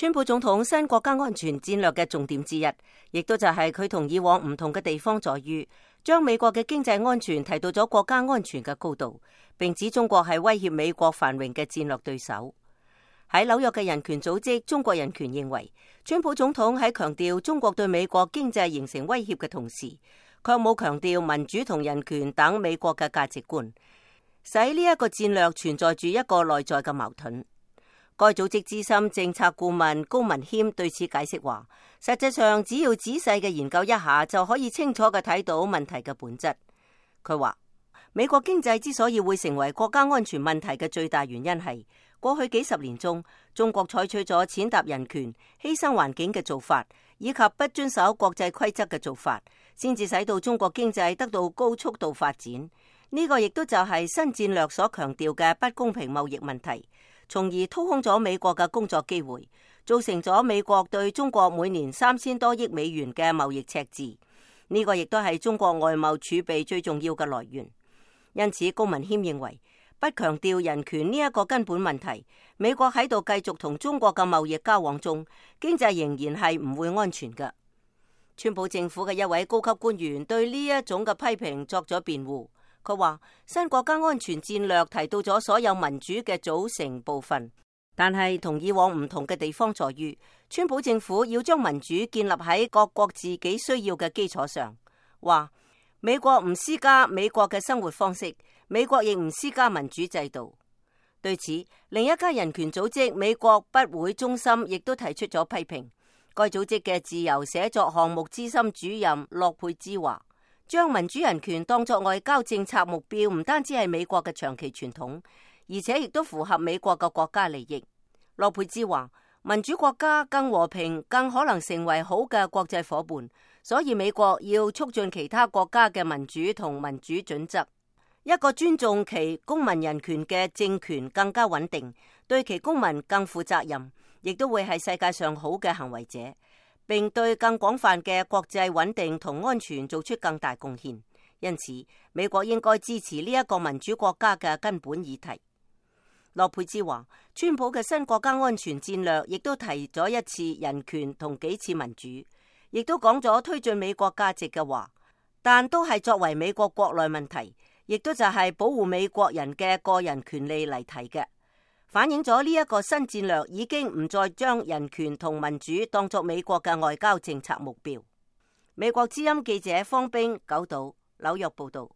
川普總統新國家安全戰略嘅重點之一，亦都就係佢同以往唔同嘅地方在於，將美國嘅經濟安全提到咗國家安全嘅高度，並指中國係威脅美國繁榮嘅戰略對手。喺紐約嘅人權組織中國人權認為，川普總統喺強調中國對美國經濟形成威脅嘅同時，卻冇強調民主同人權等美國嘅價值觀，使呢一個戰略存在住一個內在嘅矛盾。該組織資深政策顧問高文謙對此解釋話，實際上只要仔細嘅研究一下，就可以清楚嘅睇到問題嘅本質。佢話，美國經濟之所以會成為國家安全問題嘅最大原因係過去幾十年中，中國採取咗踐踏人權、犧牲環境嘅做法，以及不遵守國際規則嘅做法，先至使到中國經濟得到高速度發展。呢個亦都就係新戰略所強調嘅不公平貿易問題，從而掏空咗美國嘅工作機會，造成咗美國對中國每年3000多億美元嘅貿易赤字。呢個亦都係中國外貿儲備最重要嘅來源。因此，高文謙認為，不強調人權呢一個根本問題，美國喺度繼續同中國嘅貿易交往中，經濟仍然係唔會安全嘅。川普政府嘅一位高級官員對呢一種嘅批評作咗辯護。佢話，新國家安全戰略提到咗所有民主嘅組成部分，但係同以往唔同嘅地方在於，川普政府要將民主建立喺各國自己需要嘅基礎上。話美國唔施加美國嘅生活方式，美國亦唔施加民主制度。對此，另一家人權組織美國不會中心亦都提出咗批評。該組織嘅自由寫作項目資深主任洛佩茲話，將民主人權當作外交政策目標，唔單止係美國嘅長期傳統，而且亦都符合美國嘅國家利益。洛佩茲話，民主國家更和平，更可能成為好嘅國際夥伴，所以美國要促進其他國家嘅民主同民主準則。一個尊重其公民人權嘅政權更加穩定，對其公民更負責任，亦都會係世界上好嘅行為者，並對更廣泛嘅國際穩定同安全做出更大貢獻。因此，美國應該支持呢一個民主國家嘅根本議題。洛佩茲話，川普嘅新國家安全戰略亦都提咗一次人權同幾次民主，亦都講咗推進美國價值嘅話，但都係作為美國國內問題，亦都就係保護美國人嘅個人權利嚟提嘅，反映咗呢一個新戰略已經唔再將人權同民主當作美國嘅外交政策目標。美國之音記者方冰九島紐約報道。